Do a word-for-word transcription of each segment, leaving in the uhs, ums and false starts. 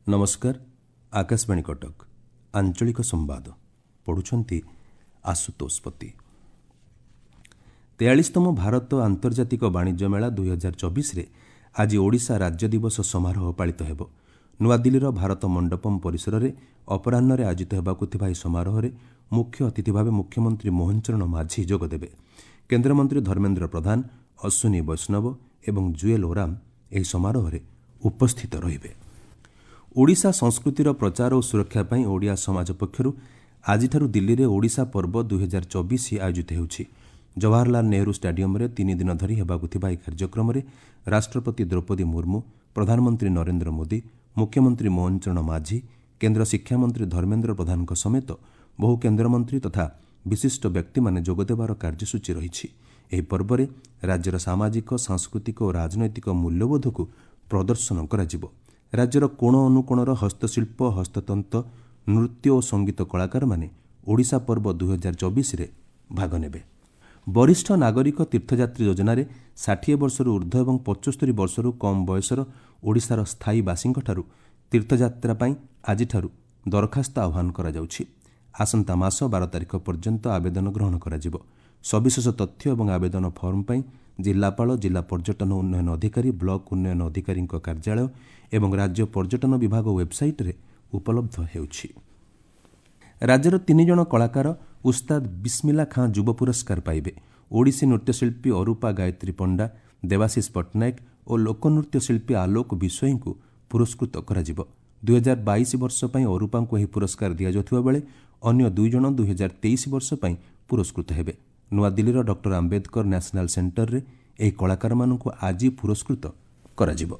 ନମସ୍କାର, ଆକାଶବାଣୀ କଟକ, ଆଞ୍ଚଳିକ ସମ୍ବାଦ ପଢ଼ୁଛନ୍ତି ଆଶୁତୋଷ ପତି। ତେୟାଳିଶତମ ଭାରତ ଆନ୍ତର୍ଜାତିକ ବାଣିଜ୍ୟ ମେଳା ଦୁଇହଜାର ଚବିଶରେ ଆଜି ଓଡ଼ିଶା ରାଜ୍ୟ ଦିବସ ସମାରୋହ ପାଳିତ ହେବ। ନୂଆଦିଲ୍ଲୀର ଭାରତ ମଣ୍ଡପମ୍ ପରିସରରେ ଅପରାହ୍ନରେ ଆୟୋଜିତ ହେବାକୁ ଥିବା ଏହି ସମାରୋହରେ ମୁଖ୍ୟ ଅତିଥି ଭାବେ ମୁଖ୍ୟମନ୍ତ୍ରୀ ମୋହନ ଚରଣ ମାଝୀ ଯୋଗଦେବେ। କେନ୍ଦ୍ରମନ୍ତ୍ରୀ ଧର୍ମେନ୍ଦ୍ର ପ୍ରଧାନ, ଅଶ୍ୱିନୀ ବୈଷ୍ଣବ ଏବଂ ଜୁଏଲ୍ ଓରାମ ଏହି ସମାରୋହରେ ଉପସ୍ଥିତ ରହିବେ। ଓଡ଼ିଶା ସଂସ୍କୃତିର ପ୍ରଚାର ଓ ସୁରକ୍ଷା ପାଇଁ ଓଡ଼ିଆ ସମାଜ ପକ୍ଷରୁ ଆଜିଠାରୁ ଦିଲ୍ଲୀରେ ଓଡ଼ିଶା ପର୍ବ ଦୁଇହଜାର ଚବିଶ ଆୟୋଜିତ ହେଉଛି। ଜବାହରଲାଲ ନେହେରୁ ଷ୍ଟାଡିୟମରେ ତିନି ଦିନ ଧରି ହେବାକୁ ଥିବା ଏହି କାର୍ଯ୍ୟକ୍ରମରେ ରାଷ୍ଟ୍ରପତି ଦ୍ରୌପଦୀ ମୁର୍ମୁ, ପ୍ରଧାନମନ୍ତ୍ରୀ ନରେନ୍ଦ୍ର ମୋଦି, ମୁଖ୍ୟମନ୍ତ୍ରୀ ମୋହନ ଚରଣ ମାଝୀ, କେନ୍ଦ୍ର ଶିକ୍ଷାମନ୍ତ୍ରୀ ଧର୍ମେନ୍ଦ୍ର ପ୍ରଧାନଙ୍କ ସମେତ ବହୁ କେନ୍ଦ୍ରମନ୍ତ୍ରୀ ତଥା ବିଶିଷ୍ଟ ବ୍ୟକ୍ତିମାନେ ଯୋଗଦେବାର କାର୍ଯ୍ୟସୂଚୀ ରହିଛି। ଏହି ପର୍ବରେ ରାଜ୍ୟର ସାମାଜିକ, ସାଂସ୍କୃତିକ ଓ ରାଜନୈତିକ ମୂଲ୍ୟବୋଧକୁ ପ୍ରଦର୍ଶନ କରାଯିବ। ରାଜ୍ୟର କୋଣ ଅନୁକୋଣର ହସ୍ତଶିଳ୍ପ, ହସ୍ତତନ୍ତ, ନୃତ୍ୟ ଓ ସଙ୍ଗୀତ କଳାକାରମାନେ ଓଡ଼ିଶା ପର୍ବ ଦୁଇହଜାର ଚବିଶରେ ଭାଗ ନେବେ। ବରିଷ୍ଠ ନାଗରିକ ତୀର୍ଥଯାତ୍ରୀ ଯୋଜନାରେ ଷାଠିଏ ବର୍ଷରୁ ଉର୍ଦ୍ଧ୍ୱ ଏବଂ ପଞ୍ଚସ୍ତରୀ ବର୍ଷରୁ କମ୍ ବୟସର ଓଡ଼ିଶାର ସ୍ଥାୟୀ ବାସୀଙ୍କଠାରୁ ତୀର୍ଥଯାତ୍ରା ପାଇଁ ଆଜିଠାରୁ ଦରଖାସ୍ତ ଆହ୍ୱାନ କରାଯାଉଛି। ଆସନ୍ତା ମାସ ବାର ତାରିଖ ପର୍ଯ୍ୟନ୍ତ ଆବେଦନ ଗ୍ରହଣ କରାଯିବ। ସବିଶେଷ ତଥ୍ୟ ଏବଂ ଆବେଦନ ଫର୍ମ ପାଇଁ ଜିଲ୍ଲାପାଳ, ଜିଲ୍ଲା ପର୍ଯ୍ୟଟନ ଉନ୍ନୟନ ଅଧିକାରୀ, ବ୍ଲକ ଉନ୍ନୟନ ଅଧିକାରୀଙ୍କ କାର୍ଯ୍ୟାଳୟ ଏବଂ ରାଜ୍ୟ ପର୍ଯ୍ୟଟନ ବିଭାଗ ୱେବ୍ସାଇଟ୍ରେ ଉପଲବ୍ଧ ହେଉଛି। ରାଜ୍ୟର ତିନି ଜଣ କଳାକାର ଉସ୍ତାଦ ବିସ୍ମିଲା ଖାଁ ଯୁବ ପୁରସ୍କାର ପାଇବେ। ଓଡ଼ିଶୀ ନୃତ୍ୟଶିଳ୍ପୀ ଅରୂପା ଗାୟତ୍ରୀ ପଣ୍ଡା, ଦେବାଶିଷ ପଟ୍ଟନାୟକ ଓ ଲୋକନୃତ୍ୟ ଶିଳ୍ପୀ ଆଲୋକ ବିଷୋୟୀଙ୍କୁ ପୁରସ୍କୃତ କରାଯିବ। ଦୁଇହଜାର ବାଇଶ ବର୍ଷ ପାଇଁ ଅରୂପାଙ୍କୁ ଏହି ପୁରସ୍କାର ଦିଆଯାଉଥିବା ବେଳେ ଅନ୍ୟ ଦୁଇ ଜଣ ଦୁଇହଜାର ତେଇଶ ବର୍ଷ ପାଇଁ ପୁରସ୍କୃତ ହେବେ। ନୂଆଦିଲ୍ଲୀର ଡକ୍ଟର ଆମ୍ବେଦକର ନ୍ୟାସନାଲ ସେଣ୍ଟରରେ ଏହି କଳାକାରମାନଙ୍କୁ ଆଜି ପୁରସ୍କୃତ କରାଯିବ।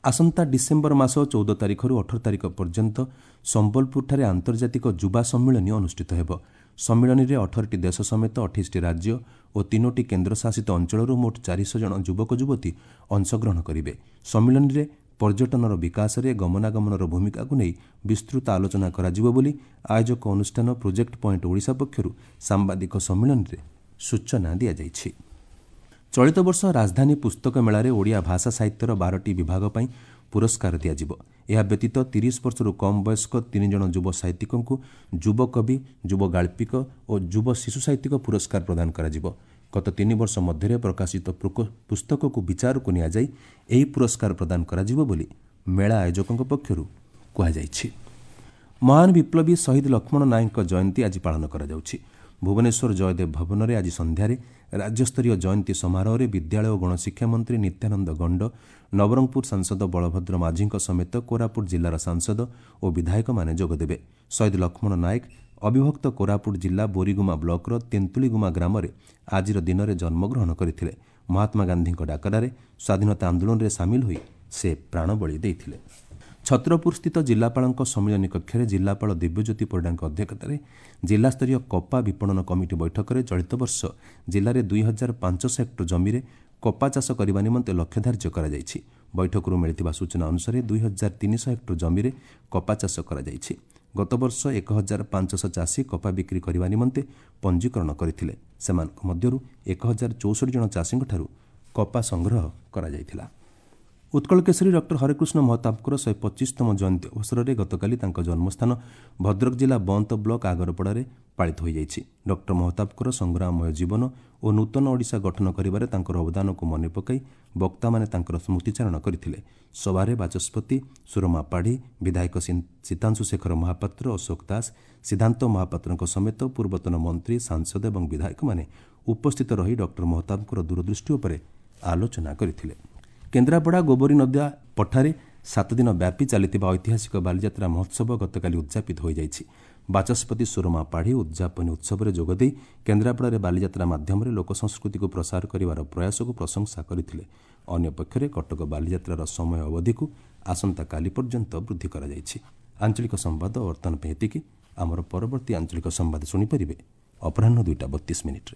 ଆସନ୍ତା ଡିସେମ୍ବର ମାସ ଚଉଦ ତାରିଖରୁ ଅଠର ତାରିଖ ପର୍ଯ୍ୟନ୍ତ ସମ୍ବଲପୁରଠାରେ ଆନ୍ତର୍ଜାତିକ ଯୁବା ସମ୍ମିଳନୀ ଅନୁଷ୍ଠିତ ହେବ। ସମ୍ମିଳନୀରେ ଅଠରଟି ଦେଶ ସମେତ ଅଠେଇଶଟି ରାଜ୍ୟ ଓ ତିନୋଟି କେନ୍ଦ୍ରଶାସିତ ଅଞ୍ଚଳରୁ ମୋଟ ଚାରିଶହ ଜଣ ଯୁବକ ଯୁବତୀ ଅଂଶଗ୍ରହଣ କରିବେ। ସମ୍ମିଳନୀରେ ପର୍ଯ୍ୟଟନର ବିକାଶରେ ଗମନାଗମନର ଭୂମିକାକୁ ନେଇ ବିସ୍ତୃତ ଆଲୋଚନା କରାଯିବ ବୋଲି ଆୟୋଜକ ଅନୁଷ୍ଠାନ ପ୍ରୋଜେକ୍ଟ ପଏଣ୍ଟ ଓଡ଼ିଶା ପକ୍ଷରୁ ସାମ୍ବାଦିକ ସମ୍ମିଳନୀରେ ସୂଚନା ଦିଆଯାଇଛି। ଚଳିତ ବର୍ଷ ରାଜଧାନୀ ପୁସ୍ତକ ମେଳାରେ ଓଡ଼ିଆ ଭାଷା ସାହିତ୍ୟର ବାରଟି ବିଭାଗ ପାଇଁ ପୁରସ୍କାର ଦିଆଯିବ। ଏହା ବ୍ୟତୀତ ତିରିଶ ବର୍ଷରୁ କମ୍ ବୟସ୍କ ତିନି ଜଣ ଯୁବ ସାହିତ୍ୟିକଙ୍କୁ ଯୁବକବି, ଯୁବ ଗାଳ୍ପିକ ଓ ଯୁବ ଶିଶୁ ସାହିତ୍ୟିକ ପୁରସ୍କାର ପ୍ରଦାନ କରାଯିବ। ଗତ ତିନି ବର୍ଷ ମଧ୍ୟରେ ପ୍ରକାଶିତ ପୁସ୍ତକକୁ ବିଚାରକୁ ନିଆଯାଇ ଏହି ପୁରସ୍କାର ପ୍ରଦାନ କରାଯିବ ବୋଲି ମେଳା ଆୟୋଜକଙ୍କ ପକ୍ଷରୁ କୁହାଯାଇଛି। ମହାନ ବିପ୍ଳବୀ ଶହୀଦ ଲକ୍ଷ୍ମଣ ନାୟକଙ୍କ ଜୟନ୍ତୀ ଆଜି ପାଳନ କରାଯାଉଛି। ଭୁବନେଶ୍ୱର ଜୟଦେବ ଭବନରେ ଆଜି ସନ୍ଧ୍ୟାରେ ରାଜ୍ୟସ୍ତରୀୟ ଜୟନ୍ତୀ ସମାରୋହରେ ବିଦ୍ୟାଳୟ ଓ ଗଣଶିକ୍ଷା ମନ୍ତ୍ରୀ ନିତ୍ୟାନନ୍ଦ ଗଣ୍ଡ, ନବରଙ୍ଗପୁର ସାଂସଦ ବଳଭଦ୍ର ମାଝୀଙ୍କ ସମେତ କୋରାପୁଟ ଜିଲ୍ଲାର ସାଂସଦ ଓ ବିଧାୟକମାନେ ଯୋଗଦେବେ। ଶହୀଦ ଲକ୍ଷ୍ମଣ ନାୟକ ଅବିଭକ୍ତ କୋରାପୁଟ ଜିଲ୍ଲା ବୋରିଗୁମା ବ୍ଲକର ତେନ୍ତୁଳିଗୁମା ଗ୍ରାମରେ ଆଜିର ଦିନରେ ଜନ୍ମଗ୍ରହଣ କରିଥିଲେ। ମହାତ୍ମା ଗାନ୍ଧୀଙ୍କ ଡାକରାରେ ସ୍ୱାଧୀନତା ଆନ୍ଦୋଳନରେ ସାମିଲ ହୋଇ ସେ ପ୍ରାଣବଳି ଦେଇଥିଲେ। ଛତ୍ରପୁରସ୍ଥିତ ଜିଲ୍ଲାପାଳଙ୍କ ସମ୍ମିଳନୀ କକ୍ଷରେ ଜିଲ୍ଲାପାଳ ଦିବ୍ୟଜ୍ୟୋତି ପରିଡ଼ାଙ୍କ ଅଧ୍ୟକ୍ଷତାରେ ଜିଲ୍ଲାସ୍ତରୀୟ କପା ବିପଣନ କମିଟି ବୈଠକରେ ଚଳିତ ବର୍ଷ ଜିଲ୍ଲାରେ ଦୁଇ ହଜାର ପାଞ୍ଚଶହ ହେକ୍ଟର ଜମିରେ କପା ଚାଷ କରିବା ନିମନ୍ତେ ଲକ୍ଷ୍ୟ ଧାର୍ଯ୍ୟ କରାଯାଇଛି। ବୈଠକରୁ ମିଳିଥିବା ସୂଚନା ଅନୁସାରେ ଦୁଇ ହଜାର ତିନିଶହ ହେକ୍ଟର ଜମିରେ କପା ଚାଷ କରାଯାଇଛି। ଗତବର୍ଷ ଏକ ହଜାର ପାଞ୍ଚଶହ ଚାଷୀ କପା ବିକ୍ରି କରିବା ନିମନ୍ତେ ପଞ୍ଜୀକରଣ କରିଥିଲେ। ସେମାନଙ୍କ ମଧ୍ୟରୁ ଏକ ହଜାର ଚଉଷଠି ଜଣ ଚାଷୀଙ୍କଠାରୁ କପା ସଂଗ୍ରହ କରାଯାଇଥିଲା। ଉତ୍କଳ କେଶରୀ ଡକ୍ଟର ହରେକୃଷ୍ଣ ମହତାବଙ୍କର ଶହେ ପଚିଶତମ ଜୟନ୍ତୀ ଅବସରରେ ଗତକାଲି ତାଙ୍କ ଜନ୍ମସ୍ଥାନ ଭଦ୍ରକ ଜିଲ୍ଲା ବନ୍ତ ବ୍ଲକ ଆଗରପଡ଼ାରେ ପାଳିତ ହୋଇଯାଇଛି। ଡକ୍ଟର ମହତାବଙ୍କର ସଂଗ୍ରାମମୟ ଜୀବନ ଓ ନୂତନ ଓଡ଼ିଶା ଗଠନ କରିବାରେ ତାଙ୍କର ଅବଦାନକୁ ମନେ ପକାଇ ବକ୍ତାମାନେ ତାଙ୍କର ସ୍ମୃତିଚାରଣ କରିଥିଲେ। ସଭାରେ ବାଚସ୍ପତି ସୁରମା ପାଢ଼ୀ, ବିଧାୟକ ସୀତାଂଶୁ ଶେଖର ମହାପାତ୍ର, ଅଶୋକ ଦାସ, ସିଦ୍ଧାନ୍ତ ମହାପାତ୍ରଙ୍କ ସମେତ ପୂର୍ବତନ ମନ୍ତ୍ରୀ, ସାଂସଦ ଏବଂ ବିଧାୟକମାନେ ଉପସ୍ଥିତ ରହି ଡକ୍ଟର ମହତାବଙ୍କର ଦୂରଦୃଷ୍ଟି ଉପରେ ଆଲୋଚନା କରିଥିଲେ। କେନ୍ଦ୍ରାପଡ଼ା ଗୋବରୀ ନଦୀ ପଠାରେ ସାତ ଦିନ ବ୍ୟାପୀ ଚାଲିଥିବା ଐତିହାସିକ ବାଲିଯାତ୍ରା ମହୋତ୍ସବ ଗତକାଲି ଉଦ୍ଯାପିତ ହୋଇଯାଇଛି। ବାଚସ୍ପତି ସୁରମା ପାଢ଼ୀ ଉଦ୍ଯାପନୀ ଉତ୍ସବରେ ଯୋଗଦେଇ କେନ୍ଦ୍ରାପଡ଼ାରେ ବାଲିଯାତ୍ରା ମାଧ୍ୟମରେ ଲୋକସଂସ୍କୃତିକୁ ପ୍ରସାର କରିବାର ପ୍ରୟାସକୁ ପ୍ରଶଂସା କରିଥିଲେ। ଅନ୍ୟପକ୍ଷରେ କଟକ ବାଲିଯାତ୍ରାର ସମୟ ଅବଧିକୁ ଆସନ୍ତାକାଲି ପର୍ଯ୍ୟନ୍ତ ବୃଦ୍ଧି କରାଯାଇଛି। ଆଞ୍ଚଳିକ ସମ୍ବାଦ ବର୍ତ୍ତମାନ ପାଇଁ ଏତିକି। ଆମର ପରବର୍ତ୍ତୀ ଆଞ୍ଚଳିକ ସମ୍ବାଦ ଶୁଣିପାରିବେ ଅପରାହ୍ନ ଦୁଇଟା ବତିଶ ମିନିଟ୍ରେ।